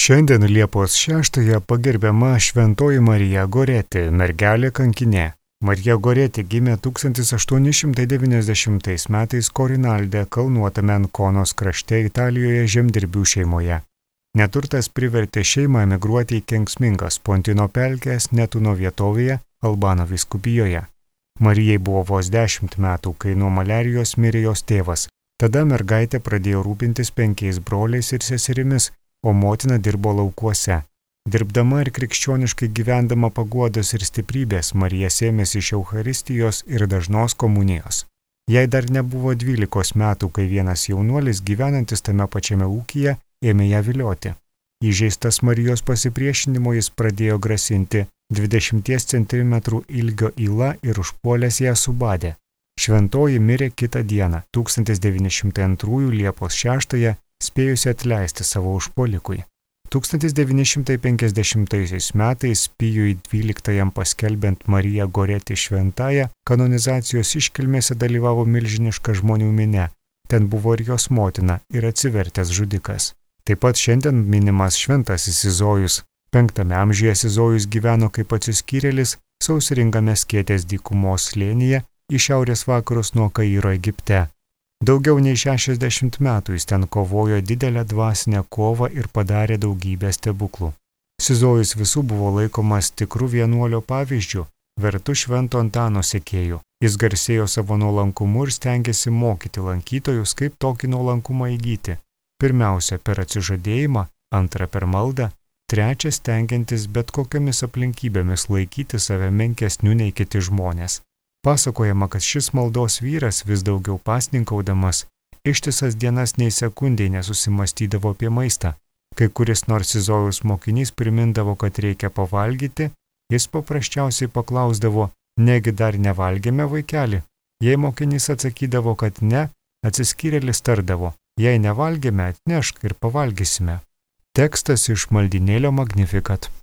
Šiandien Liepos 6-ąją pagerbiama Šventoji Marija Goretė, mergelė kankinė. Marija Goretė gimė 1890 metais Korinalde kalnuotame Ankonos krašte Italijoje žemdirbių šeimoje. Neturtas privertė šeimą emigruoti į kenksmingas Pontino pelkės Netuno vietovėje Albano vyskupijoje. Marijai buvo vos 10 metų, kai nuo maliarijos mirė jos tėvas. Tada mergaitė pradėjo rūpintis 5 broliais ir seserimis, o motina dirbo laukuose. Dirbdama ir krikščioniškai gyvendama paguodos ir stiprybės, Marija sėmėsi iš Eucharistijos ir dažnos komunijos. Jai dar nebuvo 12 metų, kai vienas jaunuolis gyvenantis tame pačiame ūkyje ėmė ją vilioti. Įžeistas Marijos pasipriešinimo jis pradėjo grasinti 20 cm ilgio yla ir užpuolęs ją subadė. Šventoji mirė kitą dieną, 1902 Liepos 6-ąją, spėjusi atleisti savo užpuolikui. 1950 metais Pijui XII paskelbiant Mariją Goretį šventąją, kanonizacijos iškilmėse dalyvavo milžiniška žmonių minia. Ten buvo ir jos motina ir atsivertęs žudikas. Taip pat šiandien minimas šventasis Izojus. 5 amžiuje Izojus gyveno kaip atsiskyrėlis sausringame Skėtės dykumos slėnyje į šiaurės vakarus nuo Kairo Egipte. Daugiau nei 60 metų jis ten kovojo didelę dvasinę kovą ir padarė daugybę stebuklų. Izojus visų buvo laikomas tikrų vienuolio pavyzdžių, vertu Švento Antano sekėjų. Jis garsėjo savo nuolankumu ir stengėsi mokyti lankytojus, kaip tokį nuolankumą įgyti. Pirmiausia per atsižadėjimą, antra per maldą, trečia stengiantis bet kokiamis aplinkybėmis laikyti save menkesniu nei kiti žmonės. Pasakojama, kad šis maldos vyras vis daugiau pasninkaudamas, ištisas dienas nei sekundei nesusimastydavo apie maistą. Kai kuris nors Izojaus mokinys primindavo, kad reikia pavalgyti, jis paprasčiausiai paklausdavo, negi dar nevalgėme, vaikeli? Jei mokinys atsakydavo, kad ne, atsiskyrėlis tardavo, jei nevalgėme, atnešk ir pavalgysime. Tekstas iš maldynėlio Magnificat.